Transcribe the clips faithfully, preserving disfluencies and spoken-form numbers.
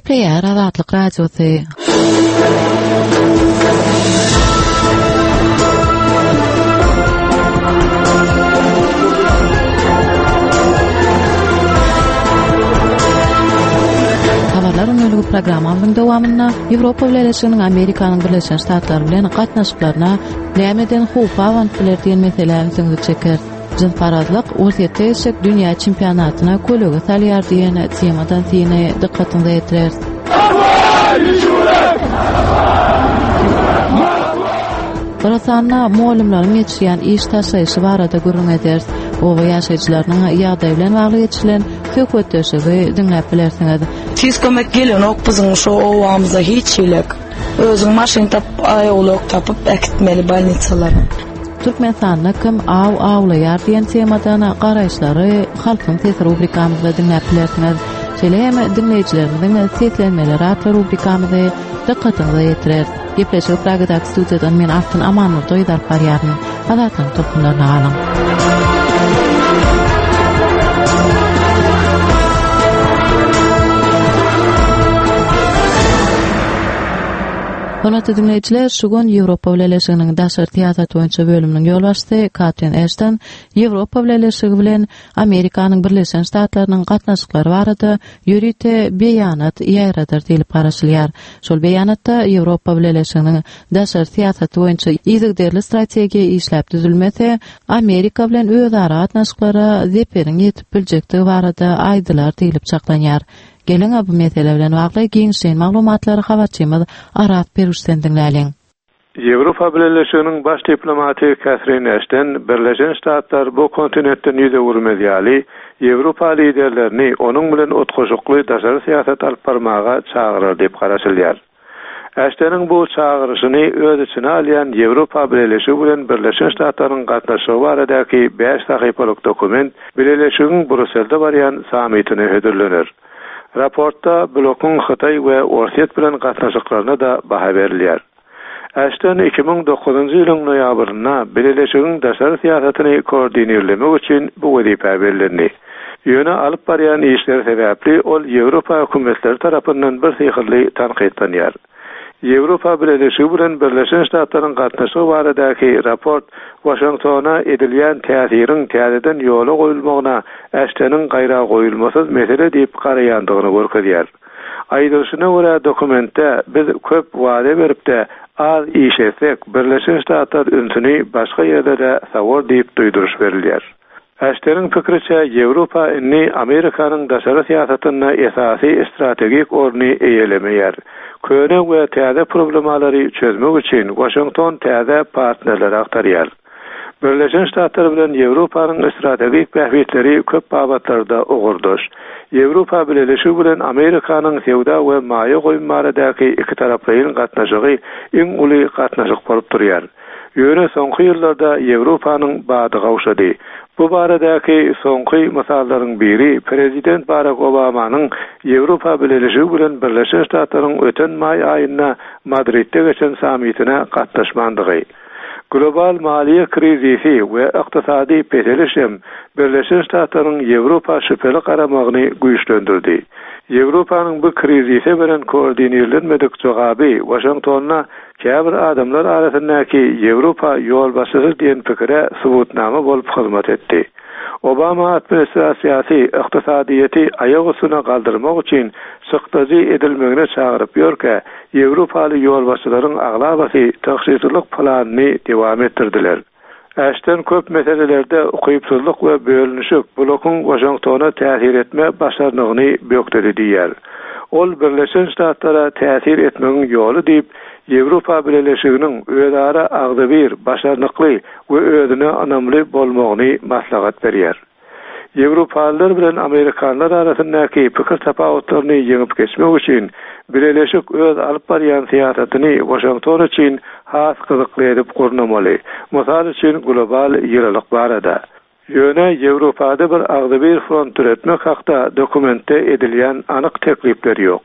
Gepleýär Azatlyk Radiosy. Habarlar ünlüligi programmamyzyň dowamynda Ýewropa Bileleşiginiň Amerikanyň Birleşen Ştatlary bilen gatnaşyklaryna nämeden howp abanyp biler diýen meselä ünsüňizi çekeris. Jynsparazlyk Orsýetde geçjek dünýä çempionatyna kölege salýar diýen temadan syny dykgatyňyza ýetireris. Horasanda mugallymlaryň geçirýän iş taşlaýşy barada gürrüň ederis. Oba ýaşaýjylarynyň ýagdaýy bilen bagly geçirilen söhbetdeşligi diňläp bilersiňiz. Tiz kömek gelenok biziň şu obamyza hiç hilek. Özüň maşyn tapyp, aýawlak tapyp äkitmeli bolnisalara. Türkmenistanda kim aw awlaýar diýen temadan garaýyşlary Halkyň sesi rubrikamyzda diňläp bilersiňiz. Şeýle hem diňleýjilerimiziň seslenmeleri atly rubrikamyzy dykgatyňyza ýetireris. Gepleşigi Pragadaky studiýadan men Altyn Amanmurdoýew alyp barýaryn. Azatlygyň tolkunlaryna galyň. Hormatly diňleýjiler, şu gün Ýewropa Bileleşiginiň daşary syýasat boýunça bölüminiň ýolbaşçysy Katrin Eşton Ýewropa Bileleşigi bilen Amerikanyň Birleşen Ştatlarynyň gatnaşyklary barada ýörite beýanat ýaýradar diýlip garaşylýar. Şol beýanatda Ýewropa Bileleşiginiň daşary syýasaty boýunça yzygiderli strategiýa işläp düzülmese, Amerika bilen özara gatnaşyklara zeperiň ýetip biljekdigi barada aýdylar diýlip çaklanýar. Geliň, bu mesele bilen bagly giňişleýin maglumatlary habarçymyz Arat Peruşden diňläliň. Ýewropa Bileleşiginiň baş diplomaty Katrin Eşton Birleşen Ştatlar bu kontinentden ýüz öwürmez ýaly Ýewropa liderlerini onuň bilen utgaşykly daşary syýasat alyp barmaga çagyrar diýip garaşylýar. Eştonyň bu çagyryşyny öz içine alýan Ýewropa Bileleşigi bilen Birleşen Ştatlaryň gatnaşygy baradaky bäş sahypalyk dokument Bileleşigiň Brýusselde barýan sammitine hödürlener. Raportda blokuň Hytaý we Orsýet bilen gatnaşyklaryna da baha berilýär. Eşton iki müň dokuzynjy ýylyň noýabrynda Bileleşigiň daşary syýasatyny koordinirlemek üçin bu wezipä bellendi. Ýöne alyp barýan işleri sebäpli ol Ýewropa hökümetleri tarapyndan bir syhyrly tankytlanýar. Ýewropa Bileleşigi bilen Birleşen Ştatlaryň gatnaşygy baradaky raport Waşingtona edilýän täsiriň täzeden ýola goýulmagyna Eştonyň gaýra goýulmasyz mesele diýip garaýandygyny görkezýär. Aýdylyşyna görä dokumentde biz köp wada berip-de az iş etsek, Birleşen Ştatlar ünsüni başga ýerde-de sawar diýip duýduryş berilýär. Eştonyň pikiriçe Ýewropa indi Amerikanyň daşary syýasatynda esasy strategik orny eýelemeýär. Köne we täze problemalary çözmek üçin Waşington täze partnerleri agtarýar. Birleşen Ştatlar bilen Ýewropanyň strategik bähbitleri köp babatlarda ugurdaş. Ýewropa Bileleşigi bilen Amerikanyň söwda we maýa goýum baradaky iki taraplaýyn gatnaşygy iň uly gatnaşyk bolup durýar. Ýöne soňky ýyllarda Ýewropanyň bady gowşady. Bu baradaky soňky mysallaryň biri Prezident Barack Obamanyň Ýewropa Bileleşigi bilen Birleşen Ştatlaryň öten maý aýynda Madridde geçen sammitine gatnaşmandygy. Global maliýe krizisi we ykdysady peseliş hem Birleşen Ştatlaryň Ýewropa şübheli garamagyny güýçlendirdi. Ýewropanyň bu krizise beren koordinirlenmedik jogaby Waşingtonda käbir adamlar arasyndaky Ýewropa ýolbaşçysy diýen pikire subutnama bolup hyzmat etdi. Obama administrasiýasy ykdysadyýeti aýak üstüne galdyrmak üçin çykdajy edilmegine çagyryp ýörkä, Ýewropaly ýolbaşçylaryň aglabasy tygşytlylyk planyny dowam etdirdiler. Eşton köp meselelerde ukypsyzlyk we bölünişik blokuň Waşingtona täsir etme başarnygyny bökdedi diýär. Ol Birleşen Ştatlara täsir etmegiň ýoly diýip, Ýewropa Bileleşiginiň özara agzybir, başarnykly we özüne ynamly bolmagyny maslahat berýär. Ýewropalylar bilen Amerikanlar arasyndaky pikir tapawutlaryny ýeňip geçmek üçin Bileleşik öz alyp barýan syýasatyny Waşington üçin has gyzykly edip gurnamaly. Mysal üçin global ýylylyk barada. Ýöne Ýewropada bir agzybir front döretmek hakda dokumentde edilýän anyk teklipler ýok.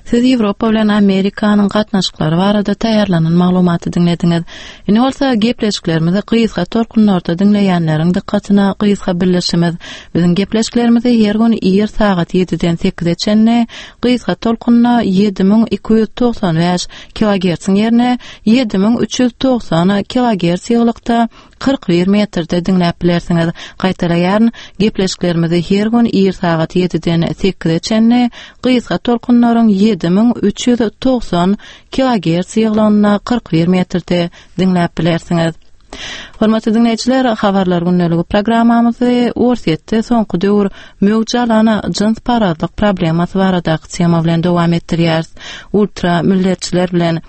Siz Ýewropa bilen Amerikanyň gatnaşyklary barada taýýarlanan maglumaty diňlediňiz. Indi bolsa gepleşiklerimizi gysga tolkunlarda diňleýänleriň dykgatyna gysga bildirişimiz. Biziň gepleşiklerimizi her gün ir sagat ýediden sekize çenli gysga tolkunda ýedi müň iki ýüz togsan bäş kilogertsiň ýerine ýedi müň üç ýüz togsan kilogerts ýygylykda kyrk bir metrde diňläp bilersiňiz. Gaýtalaýaryn, gepleşiklerimizi her gün ir sagat ýediden sekize çenli gysga tolkunlaryň ýedi müň üç ýüz togsan kilogerts ýygylygynda kyrk bir metrde diňläp bilersiňiz. Hormatly dinleýjiler, habarlar gündeligi programmamyzy Orsýetde soňky döwür möwç alan jynsparazlyk problemasy baradaky tema bilen dowam etdirýäris. Ultra milletçiler bilen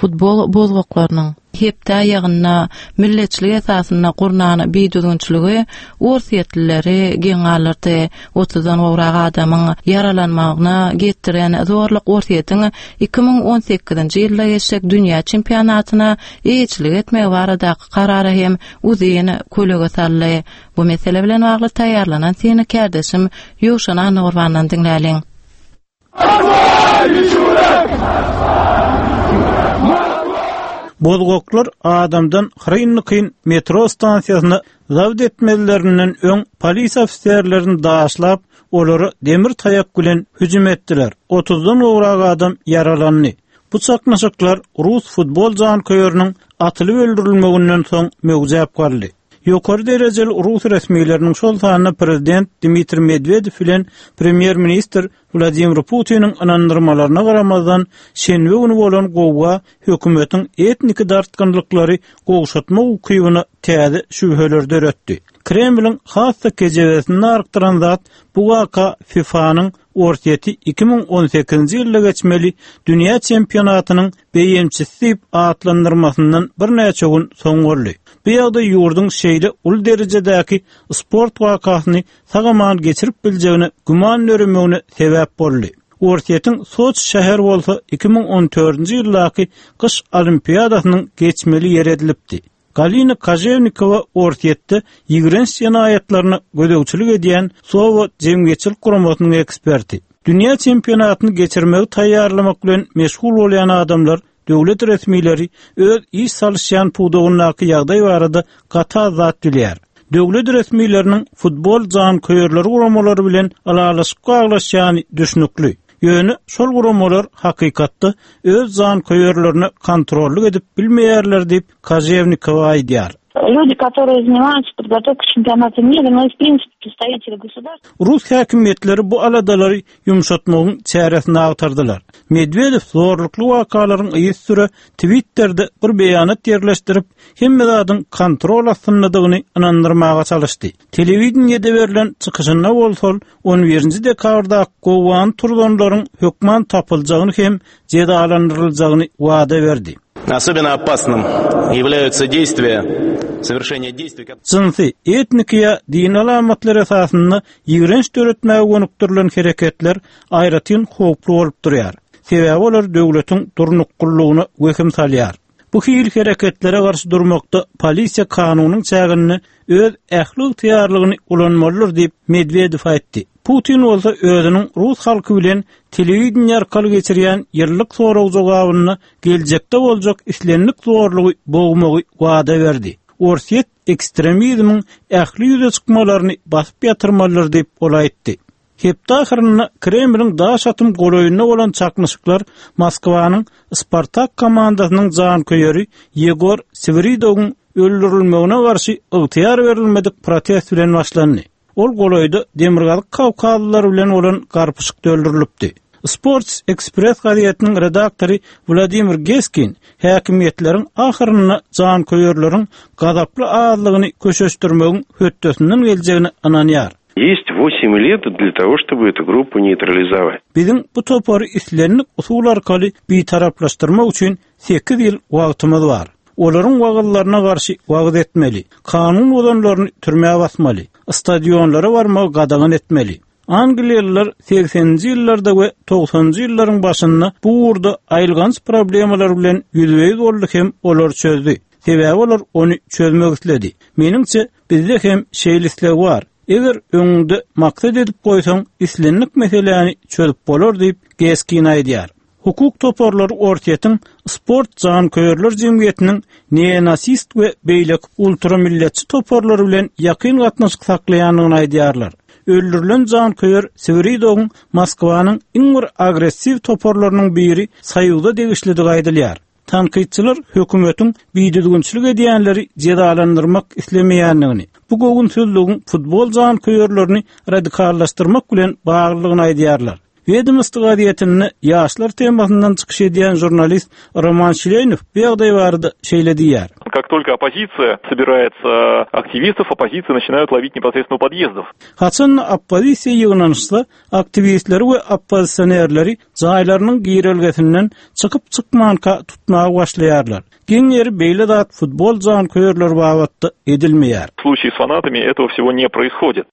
futbol bozgaklarynyň hepde aýagynda milletçilik esasynda gurnan bidüzgünçiligi Orsýetlileri geň galdyrdy. Otuzdan gowrak adamyň ýaralanmagyna getiren zorluk Orsýetiň iki müň on sekizinji ýylda geçjek dünýä çempionatyna eýeçilik etmegi baradaky karara hem uzyn kölege saldy. Bu mesele bilen bagly taýýarlanan syny kärdeşim Ýowşan Annagurbandan diňläliň. Bozgaklar adamdan Hrynnykin metro stansiýasyna zabt etmelerinden öň polis ofiserlerini daşlap, olara demir taýak bilen hüjüm etdiler. Otuzdan gowrak adam ýaralandy. Bu çaknyşyklar Rus futbol janköýeriniň atylyp öldürilmeginden soň möwjäp galdy. Ýokary derejeli Rus resmileriniň şol sanda prezident Dmitriý Medwedew bilen premýer-ministr Wladimir Putiniň ynandyrmalaryna garamazdan şenbe güni bolan gowga hökümetiň etniki dartgynlyklary gowşatmak ukybyna täze şübheler döretdi. Kremliň has-da kejebesini artdyran zat bu waka FIFA-nyň Orsýeti iki müň on sekizinji ýylda geçmeli dünýä çempionatynyň beýemçisi diýip atlandyrmasyndan birnäçe gün soň boldy. Bu ýagdaý ýurduň şeýle uly derejedäki sport wakasyny sag-aman geçirip biljegine güman döremegine sebäp boldy. Orsýetiň Soçi şäheri bolsa iki müň on dördünji ýyldaky gyş olimpiadasynyň geçmeli ýeri edilipdi. Galina Koževnikova Orsýetde ýigrenç jenaýatlaryna gözegçilik edýän Sowa jemgyýetçilik guramasynyň eksperti. Dünýä çempionatyny geçirmegi taýýarlamak bilen meşgul bolýan adamlar döwlet resmileri öz iş salyşýan pudagyndaky ýagdaý barada gaty az zat bilýär. Döwlet resmileriniň futbol janköýerleri guramalary bilen ylalaşyp baglaşýany düşnükli. Ýöne şol guramalar hakykatda öz janköýerlerine kontrollyk edip bilmeýärler diýip Koževnikova aýdýar. Люди, которые занимаются подготовкой чемпионата мира, но и в принципе представители государства. Rus häkimiýetleri bu aladalary ýumşatmagyň çäresini agtardylar. Medvedew zorlukly wakalaryň yz süre Twitter'de bir beýanat ýerleşdirip, hemme zadyň kontrol astyndadygyny ynandyrmaga çalyşdy. Telewideniýede berlen çykyşynda bolsa on birinji dekabrda gowgan turzanlaryň hökman tapyljagyny hem jezalandyryljagyny wada berdi. Особенно опасным являются действия, совершение действий, которые Jynsy, etniki ýa dini alamatlar esasynda ýigrenç döretmäge gönükdirilen hereketler aýratyn howply bolup durýar. Sebäbi olar döwletiň durnuklylygyna wehim salýar. Bu hil hereketlere garşy durmakda polisiýa kanunyň çäginde öz ähli ygtyýarlygyny ulanmalydyr diýip Medwedew aýtdy. Putin bolsa özüniň Rus halky bilen telewideniýe arkaly geçirýän ýyllyk sorag jogabynda geljekde boljak islendik zorlugy bogmagy wada berdi. Orsýet ekstremizmiň ähli ýüze çykmalaryny basyp ýatyrmalydyr diýip ol aýtdy. Hepde ahyrynda Kremliň daş atym golaýynda bolan çaknyşyklar Moskwanyň Spartak komandasynyň janköýeri Ýegor Swiridowyň öldürilmegine garşy ygtyýar berilmedik protest bilen başlandy. Ol golaýda Demirgazyk Kawkazlylar bilen bolan garpyşykda öldürilipdi. Sports Express gazetiniň redaktory Wladimir Geskin häkimiýetleriň ahyrynda janköýerleriň gazaply azlygyny köşeşdirmegiň hötdesinden geljegine ynanýar. Есть восемь лет для того, чтобы эту группу нейтрализовать. Biziň bu topary islendik usul arkaly bitaraplaşdyrmak üçin sekiz ýyl wagtymyz bar. Olaryň wagyzlaryna garşy wagyz etmeli, kanun bozanlaryny türmä basmaly, stadionlara barmagy gadagan etmeli. Angliýalylar sekseninji ýyllarda we togsanynjy ýyllaryň başynda bu ugurda aýylganç problemalar bilen ýüzbe-ýüz boldy hem olar çözdü. Sebäbi olar ony çözmek isledi. Meniňçe bizde hem şeýle isleg bar. Eger öňüňde maksat edip goýsaň, islendik meseläni çözüp bolar diýip Geskin aýdýar. Hukuk toparlary Orsýetiň sport janköýerler jemgyýetiniň neonasist we beýleki ultramilletçi toparlary bilen ýakyn gatnaşyk saklaýandygyny aýdýarlar. Öldürilen janköýer Swiridowyň Moskwanyň iň bir agressiw toparlarynyň biri Soýuzda degişlidigi aýdylýar. Tankytçylar hökümetiň bidüzgünçilik edýänleri jezalandyrmak islemeýändigini, bu göwünsizligiň futbol janköýerlerini radikallaşdyrmak bilen baglydygyny aýdýarlar. Wedomosti gazetinde ýaşlar temasyndan çykyş edýän žurnalist Roman Şileýnow bu ýagdaý barada şeýle diýýär. Как только оппозиция собирается активистов, оппозиция начинают ловить непосредственно у подъездов. Haçan oppozisiýa ýygnanyşsa, aktiwistleri we oppozisionerleri jaýlarynyň girelgesinden çykyp çykmanka tutmaga başlaýarlar. Geň ýeri beýle zat futbol janköýerleri babatda edilmeýär. В случае с фанатами этого всего не происходит.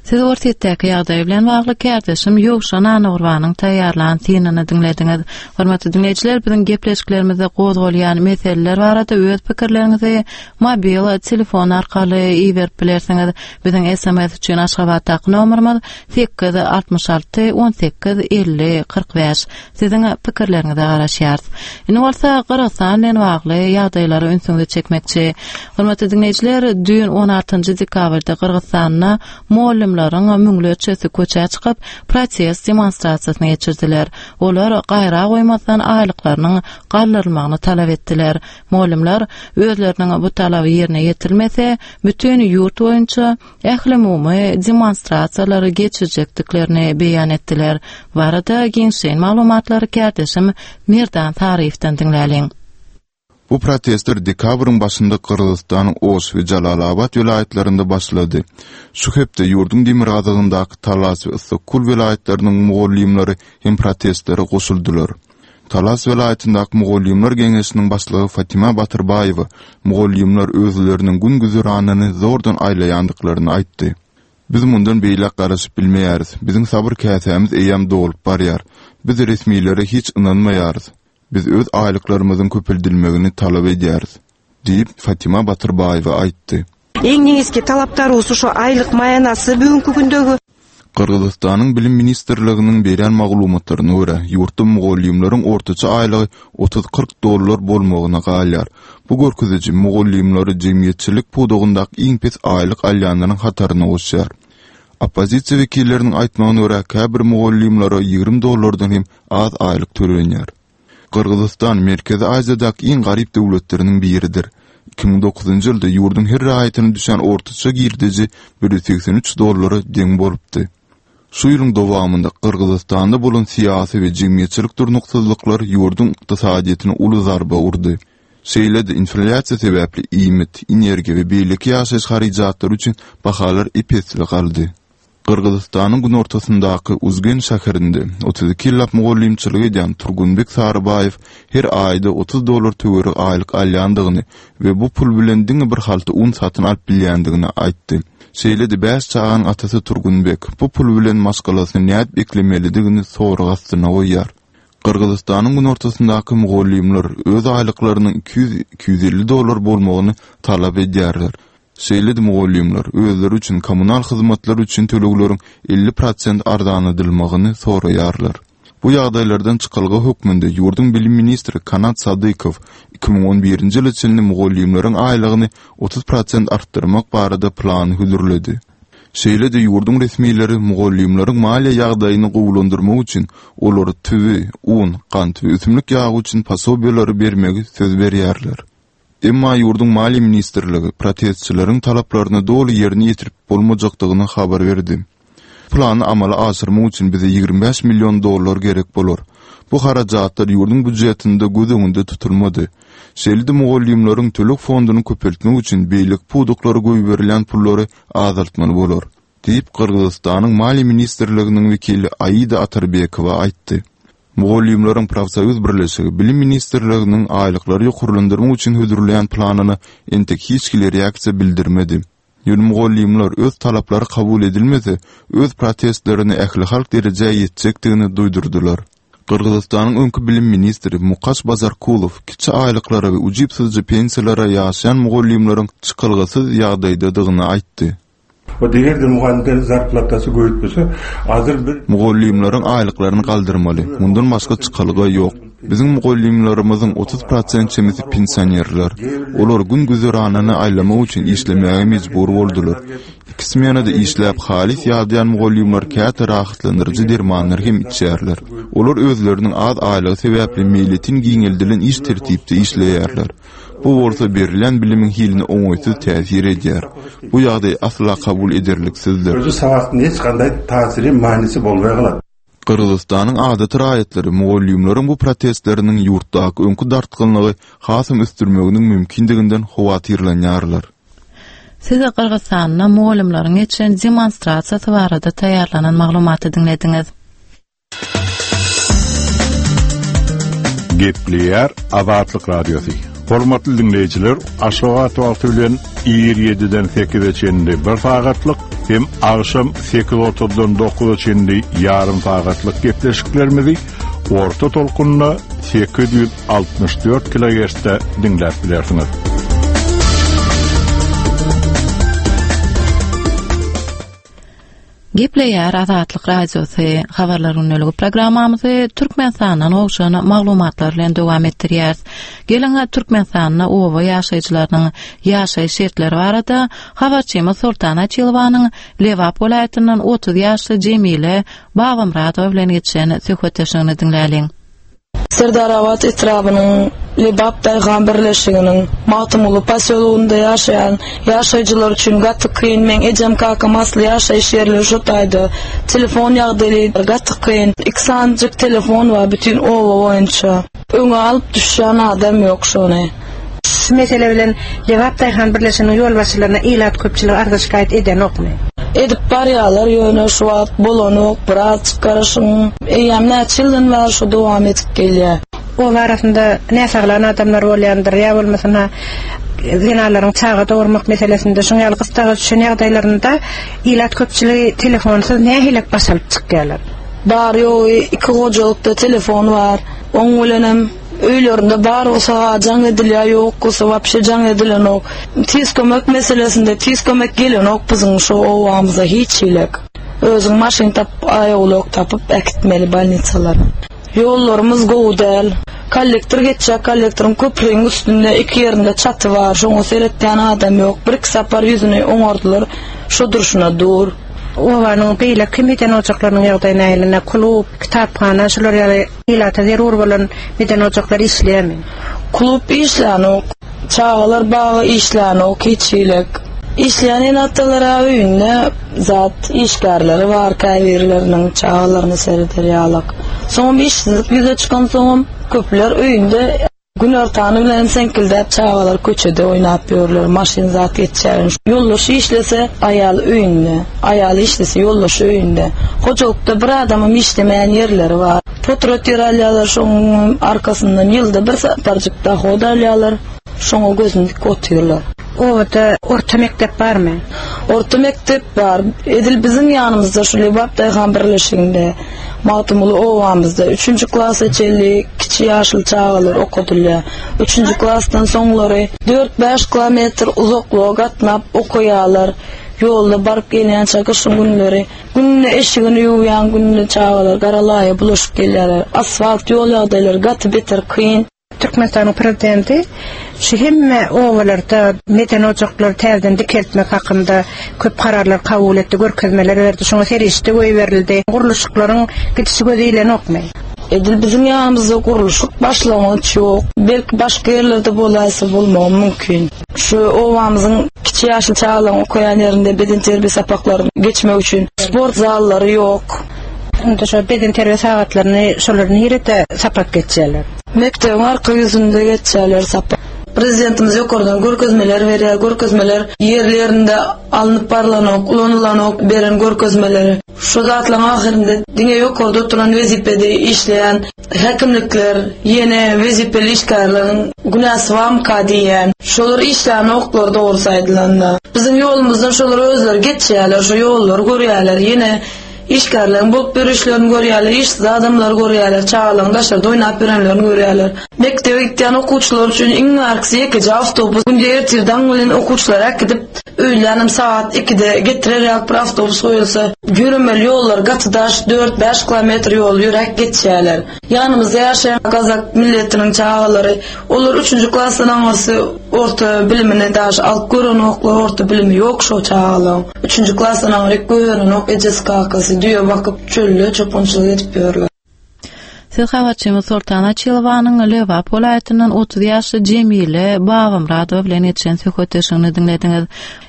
Siz Orsýetdäki ýagdaý bilen bagly kärdeşim Ýowşan Annagurbanyň taýýarlan synyny diňlediňiz. Hormatly diňleýjiler, biziň gepleşiklerimizde gozgalýan meseleler barada öz pikirleriňizi mobil telefon arkaly iberip bilersiňiz. Biziň S M S üçin Aşgabatdaky nomerimiz sekiz altmyş alty on sekiz elli kyrk bäş. Siziň pikirleriňize garaşýarys. Indi bolsa Gyrgyzystan bilen bagly ýagdaýlara ünsüňizi çekmekçi. Hormatly diňleýjiler, düýn on altynjy dekabrda Gyrgyzystanda mugallymlaryň müňlerçesi köçä çykyp protest demonstrasiýasyny geçirdiler. Olar gaýra goýmazdan aýlyklarynyň galdyrylmagyny talap etdiler. Mugallymlar özleriniň bu talaby ýerine ýetirmese, bütün ýurt boýunça ählumumy demonstrasiýalary geçirjekdiklerini beýan etdiler. Bu arada giňişleýin maglumatlary kärdeşim Merdan Saryýewden diňläliň. Bu protestler dekabryň başynda Gyrgyzystanyň Oş we Jalalabat welaýatlarynda başlady. Şu hepde ýurduň demirgazygyndaky Talas we Issyk-Kul welaýatlarynyň mugallymlary hem protestlere goşuldylar. Talas welaýatyndaky mugallymlar geňeşiniň başlygy Fatima Batyrbaýewa mugallymlar özleriniň gün güzeranyny zordan aýlaýandyklaryny aýtdy. Biz mundan beýläk garaşyp bilmeýäris. Biziň sabyr käsämiz eýýäm dolup barýar. Biz resmilere hiç ynanmaýarys. Biz öz aýlyklarymyzyň köpeldilmegini talap edýäris, diýip Fatima Batyrbaýewa aýtdy. Эң негизги талаптарыбыз ошо айлык маянасы бүгүнкү күндөгү. Gyrgyzystanyň Bilim Ministrliginiň berýän maglumatlaryna görä, ýurtda mugallymlaryň ortaça aýlygy otuz kyrk dollar bolmagyna galýar. Bu görkeziji mugallymlary jemgyýetçilik pudagyndaky iň pes aýlyk alýanlaryň hataryna goşýar. Oppozisiýa wekilleriniň aýtmagyna görä, käbir mugallymlara ýigrimi dollardan hem az aýlyk tölenýär. Gyrgyzystan Merkezi Aziýadaky iň garyp döwletleriniň biridir. Iki müň dokuzynjy ýylda ýurduň her raýatyna düşen ortaça girdeji bir ýüz segsen üç dollara deň bolupdy. Şu ýylyň dowamynda Gyrgyzystanda bolan syýasy we jemgyýetçilik durnuksyzlyklar ýurduň ykdysadyýetine uly zarba urdy. Şeýle-de inflýasiýa sebäpli iýmit, energiýa we beýleki ýaşaýyş harajatlary üçin bahalar ep-esli galdy. Gyrgyzystanyň günortasyndaky Uzgen şäherinde otuz iki ýyllap mugallymçylyk edýän Turgunbek Sarybaýew her aýda otuz dollar töweregi aýlyk alýandygyny we bu pul bilen diňe bir halta un satyn alyp bilýändigini aýtdy. Şeýle-de bäş çaganyň atasy Turgunbek bu pul bilen maşgalasyny nädip eklemelidigini sorag astyna goýýar. Gyrgyzystanyň günortasyndaky mugallymlar öz aýlyklarynyň iki ýüz, iki ýüz elli dollar bolmagyny talap edýärler. Şeýle-de mugallymlar özleri üçin kommunal hyzmatlar üçin tölegleriň elli prosent arzanladylmagyny soraýarlar. Bu ýagdaýlardan çykalga hökmünde ýurduň bilim ministri Kanat Sadykow iki müň on birinji ýyl içinde mugallymlaryň aýlygyny otuz prosent artdyrmak barada plany hödürledi. Şeýle-de ýurduň resmileri mugallymlaryň maliýe ýagdaýyny gowulandyrmak üçin olary tüwi, un, gant we ösümlik ýagy üçin posobiýalary bermegi söz berýärler. Emma ýurduň maliýe ministrligi protestçileriň talaplaryny doly ýerine ýetirip bolmajakdygyny habar berdi. Plany amala aşyrmak üçin bize ýigrimi bäş million dollar gerek bolar. Bu harajatlar ýurduň býujetinde göz öňünde tutulmady. Şeýle-de mugallymlaryň töleg fonduny köpeltmek üçin beýleki pudaklara goýberilýän pullary azaltmaly bolar, diýip Gyrgyzystanyň Maliýe ministrliginiň wekili Aida Atarbekowa aýtdy. Mugallymlaryň profsoýuz birleşigi Bilim ministrliginiň aýlyklary ýokarlandyrmak üçin hödürleýän planyna entek hiç hili reaksiýa bildirmedi. Ýöne mugallymlar öz talaplary kabul edilmese, öz protestlerini ähli halk derejä ýetjekdigini duýdurdylar. Gyrgyzystanyň öňki bilim ministri Mukaş Bazarkulow kiçi aýlyklara we ujypsyzja pensiýalara ýaşaýan mugallymlaryň çykalgasyz ýagdaýdadygyny aýtdy. Вот эгерде мугалимдердин зарплатасы көбөйтпөсө, азыр бир Mugallymlaryň aýlyklaryny galdyrmaly. Mundan başga çykalga ýok. Biziň mugallymlarymyzyň otuz prosent çemesi pensionerler. Olar gün güzeranyny aýlamak üçin işlemäge mejbur boldular. Iki smenada işläp halis ýadýan mugallymlar käte rahatlandyryjy dermanlar hem içýärler. Olar özleriniň az aýlygy sebäpli milletin giňeldilen iş tertipde işleýärler. Bu bolsa berilýän bilimiň hiline oňaýsyz täsir edýär. Bu ýagdaý asla kabul ederliksizdir. Өзү сабактын эч кандай таасири, мааниси болбой калат. Gyrgyzystanyň adaty raýatlary mugallymlaryň bu protestleriniň ýurtdaky öňkü dartgynlygy hasam ösdürmeginiň mümkindiginden howatyrlanýarlar. Size Gyrgyzystanda mugallymlaryň geçen demonstrasiýasy barada taýýarlanan maglumaty diňlediňiz. Gepleýär Azatlyk Radiosy. Hormatly dinleýjiler, Aşgabat wagty bilen ir ýediden sekize çenli bir sagatlyk hem agşam sekiz otuzdan dokuza çenli ýarym sagatlyk gepleşiklerimizi orta tolkunda sekiz ýüz altmyş dört kilohertzde dinläp bilersiňiz. Gepleýär Azatlyk Radiosy habarlar günlügi programmamyzy Türkmenistandan gowşan maglumatlar bilen dowam etdirýäris. Geliň Türkmenistanda oba ýaşaýjylarynyň ýaşaýyş şertleri barada habarçymyz Sultan Açylowanyň Lebap welaýatyndan otuz ýaşly Jemile Babamradowa bilen geçen söhbetdeşligini diňläliň. Serdarabat etrabynyň Lebap Daýhan birleşiginiň Magtymguly posýologynda ýaşaýan ýaşaýjylar üçin gaty kyn. Men ejem kakam asly ýaşaýyş ýerleri şu taýda. Telefon ýagdaýy gaty kyn. Iki sanjyk telefon bar bütün oba boýunça. Öňe alyp düşýän adam ýok şony. Şu mesele bilen Lebap Daýhan birleşiginiň ýolbaşçylaryna ilat köpçüligi arza şikaýat edenokmy? Edip barýarlar ýöne şu wagt bolanok, biraz çykaryşyň. Eýem näçe ýyldan bäri şu dowam edip gelýär. Oba arasynda näsaglan adamlar bolýandyr, ýa bolmasa zenalaryň çaga dogurmak meselesinde şoň ýaly gysdaga düşen ýagdaýlarynda ilat köpçüligi telefonsyz nähili baş alyp çykýarlar? Bar ýogy iki gojalykda telefon bar. Oň bilenem öýlerinde bar bolsa jaň edilýär, ýok bolsa wapşe jaň edilenok. Tiz kömek meselesinde tiz kömek gelenok biziň şu owamyza hiç hilek. Özüň maşyn tap, aýawlok tapyp äkitmeli bolnitsalara. Ýollarymyz gowy däl. Kollektor geçýär, kollektoryň köprüniň üstünde iki ýerinde çaty bar. Şoňa seretýän adam ýok. Bir iki sapar ýüzüni oňardylar. Şo durşuna dur. Obanyň beýleki meden ojaklarynyň ýagdaýy nähili? Klub, kitaphana, şular ýaly ilata zerur bolan meden ojaklar işleýärmi? Klub işlänok, çagalar bagy işlänok, hiç hilek. Işleýän enatalara öýünde zat işgärleri bar, käbirleriniň çagalaryny sereder ýalak. Soňam işsizlik ýüze çykan soňam köpler öýünde günortany bilen seňkildäp çagalar köçede oýnap ýörler, maşyn zat geçýär. Ýoldaşy işlese aýal öýünde, aýaly işlese ýoldaşy öýünde. Hojalykda bir adamyň işlemeýän ýerleri bar. Potrat ýer alýarlar, şonuň arkasyndan ýylda bir saparjyk dahod alýarlar. Şoňa gözüni dik otyrlar. Obada orta mekdep barmy? Orta mekdep bar. Edil biziň ýanymyzda şu Lebap Daýhan birleşiginde, Magtymguly obamyzda üçünji klasa çenli kiçi ýaşly çagalar okadylýar. Üçünji klasdan soňlary dört-bäş kilometr uzaklyga gatnap okaýarlar. Ýolda baryp gelýän çaga günleri, günde eşigini ýuwýan günde çagalar garalaýa bulaşyp gelýärler. Asfalt ýol ýagdaýlary gaty beter kyn. Türkmenistanyň prezidenti şu hemme obalarda meden ojaklary täzeden dikeltmek hakynda köp kararlar kabul etdi, görkezmeler berdi. Şoňa serişde goýberildi. Gurluşyklaryň gidişi göz ilenokmy? Edil biziň ýanymyzda gurluşyk başlangyç ýok. Belki başga ýerlerde bolaýsa bolmagy mümkin. Şu obamyzyň kiçi ýaşly çagalaryň okaýan ýerinde beden terbiýe sapaklaryny geçmek üçin sport zallary ýok. Indi şu beden terbiýe sagatlaryny şolar nirede sapak geçýärler? Mekdebiň arka ýüzünde geçýärler sapak. Prezidentimiz ýokardan görkezmeler berýär, görkezmeler ýerlerinde alnyp barlanok, ulanylanok beren görkezmeleri. Şu zatlaryň ahyrynda diňe ýokarda oturan wezipede işleýän häkimlikler, ýene wezipeli işgärleriň günäsi barmyka diýen. Şolar işleýän oklar dogry saýdylanda. Biziň ýolumyzdan şolar özleri geçýärler, şu ýollary görýärler. Ýene Işgärleriň bolup ýörüşlerini görýärler, işsiz adamlary görýärler, çagalaryň daşarda oýnap ýörenlerini görýärler. Mekdebe gitýän okuwçylar üçin iň arkasy ýekeje awtobus. Günde ertir daň bilen okuwçylar äkidip, öýlänem saat ikide getirer ýaly bir awtobus goýulsa, ýöremeli ýollar gaty daş, dört-bäş kilometr ýol ýöräp geçýärler. Ýanymyzda ýaşaýan gazak milletiniň çagalary, olar üçünji klasdan aňyrsy orta bilimini daş alyp görenoklar, orta bilimi ýok şo çagalaryň. Üçünji klasdan aňryk görenok, ejesi kakasy düýe bakyp çölde çopançylyk edip ýörler. Siz habarçymyz Soltan Açylowanyň Lebap welaýatyndan otuz ýaşly Jemile Babamyradowa bilen geçen söhbetdeşligini diňlediňiz.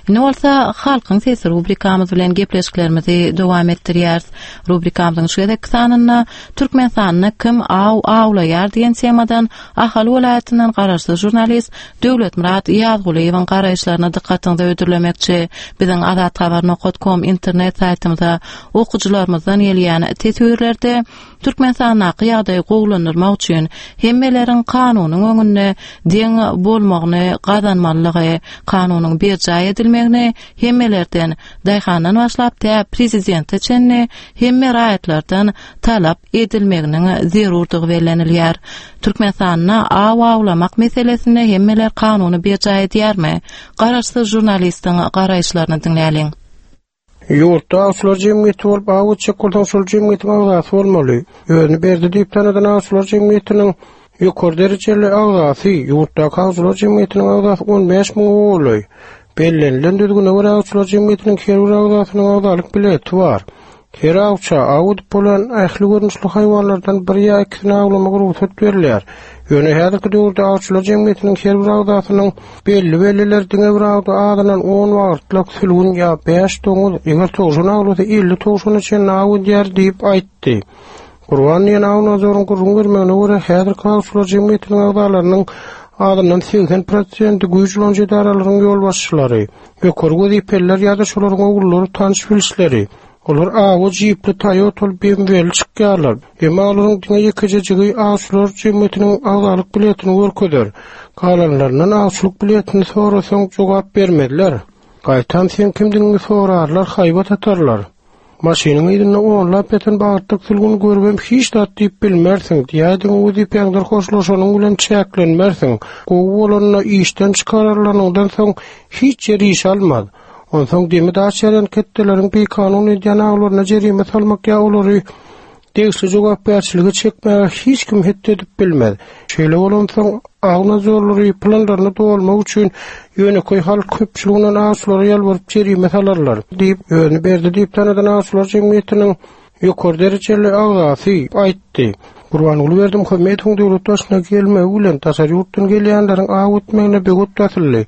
Indi bolsa Halkyň sesi rubrikamyz bilen gepleşiklerimizi dowam etdirýäris. Rubrikamyzyň şu gezekki sanynda Türkmenistanda kim aw awlaýar diýen temadan Ahal welaýatyndan garaşsyz žurnalist Döwletmyrat Ýazgulyýewiň garaýyşlaryna dykgatyňyzy ödürlemekçi. Biziň azathabar nokta com internet saýtymyza okyjylarymyzdan gelýän teswirlerde Türkmenistandaky ýagdaýy gowulandyrmak üçin hemmeleriň kanunyň öňünde deň bolmagyny gazanmalygy, kanunyň berjaý edilmegini hemmelerden, daýhandan başlap tä prezidente çenli hemme raýatlardan talap edilmeginiň zerurdygy bellenilýär. Türkmenistanda aw awlamak meselesinde hemmeler kanuny berjaý edýärmi? Garaşsyz žurnalistiň garaýyşlaryny diňläliň. Ýurtda awçylar jemgyýeti bolup aw etjek bolsaň şol jemgyýetiň agzasy bolmaly. Özüni berdi diýip tanadan awçylar jemgyýetiniň ýokary derejeli agzasy, ýurtdaky awçylar jemgyýetiniň agzasy on bäş müň golaý. Bellenilen düzgüne görä awçylar jemgyýetiniň her bir agzasynyň agzalyk bileti bar. Her awça aw edip bolan ähli görnüşli haýwanlardan bir ýa ikisini awlamak rugsat berilýär. Ýöne häzirki döwürde awçylar jemgyýetiniň her bir agzasynyň belli-belliler diňe bir awda azyndan on wagtlyk sülgün ýa bäş doňuz, eger towşan awlasa elli towşana çenli aw edýär diýip aýtdy. Gurban diýen aw nazoryň gürrüň bermegine görä häzirki awçylar jemgyýetiniň agzalarynyň azyndan segsen prosenti güýç ulanyjy edaralaryň ýolbaşçylary, ýokary wezipeliler ýa-da şolaryň ogullary tanyş bilişleri. Olar awa jipli Toyota B M W-li çykýarlar. Emma olaryň diňe ýekejejigi awçylar jemgyýetiniň agzalyk biletini görkezer. Galanlaryndan awçylyk biletini sorasaň jogap bermezler. Gaýtam sen kimdigiňi sorarlar, haýbat atarlar. Maşynyň ýerinde onlap ýatan bagtlyk sülgün görübem hiç zat diýip bilmersiň. Diýäýdiň wezipäňden hoşlaşanyň bilen çäklenmersiň. Gowy bolanyna işden çykararlaryňdan soň hiç ýer iş almaz. Onsoň demi daş ýeren ketdeleriň bikanun edýän awlaryna jerime salmak ýa olary degişli jogapkärçiligi çekmäge hiç kim hetdi edip bilmez. Şeýle bolansoň aw nazorlary planlaryny dolmak üçin ýönekeý halk köpçüliginden awçylara ýalbaryp jerime salarlar diýip, özüni berdi diýip tanadan awçylar jemgyýetiniň ýokary derejeli agzasy aýtdy. Gurbanguly Berdimuhamedowyň döwlet başyna gelmegi bilen daşary ýurtdan gelýänleriň aw etmegine begot basyldy.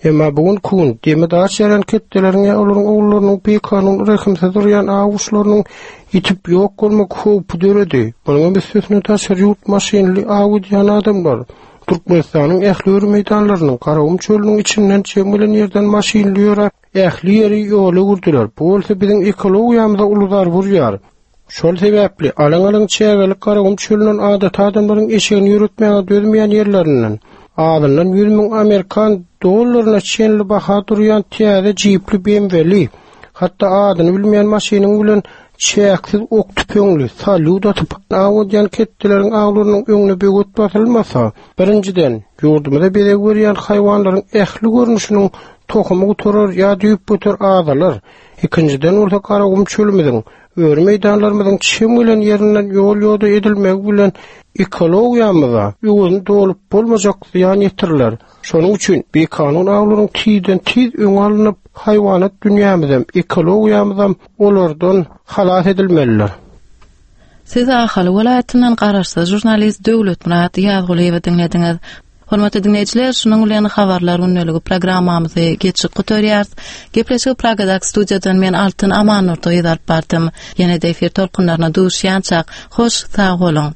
Emma bu gün kun demi daş ýeren ketdeleriň ýa olaryň ogullarynyň bikanun rehimsiz durýan aw guşlarynyň ýitip ýok bolmak howpy döredi. Munuň üstesine daşary ýurt maşynly aw edýän adamlar Türkmenistanyň ähli öri meýdanlarynyň Garagum çölüniň içinden çem gelen ýerden maşynly ýöräp ähli ýeri ýola gurdular. Bu bolsa biziň ekologiýamyza uly zarba urýar. Şol sebäpli alaň-alaň çägelik Garagum çölünden adaty adamlaryň eşegini ýöretmäge dözmeýän ýerlerinden azyndan ýüz müň Amerikan dollaryna çenli baha durýan täze jipli B M W-li, hatda adyny bilmeýän maşynyň bilen çäksiz ok tüpeňli, salýut atyp aw edýän ketdeleriň awlarynyň öňüne böwet basylmasa, birinjiden, ýurdumyza bezeg berýän haýwanlaryň ähli görnüşiniň tohumy gutarar ýa düýp göter azalar. Ikinjiden bolsa Garagum çölümiziň, öri meýdanlarymyzyň çem gelen ýerinden ýol ýoda edilmegi bilen ekologiýamyza öwezini dolup bolmajak zyýan ýetiriler. Şonuň üçin bikanun awlaryň tizden tiz öňe alnyp, haýwanat dünýämizem, ekologiýamyzam olardan halas edilmelidir. Siz Ahal welaýatyndan garaşsyz žurnalist Döwletmyrat Ýazgulyýewi diňlediňiz. Hormatly dinleýjiler, şunuň bilen habarlar gündeligi programmamyzy geçip gutarýarys. Gepleşigi Pragadak studiýadan men Altyn Amannurdy alyp bardym. Ýene-de efir tolkunlaryna duşýançak, hoş sag boluň.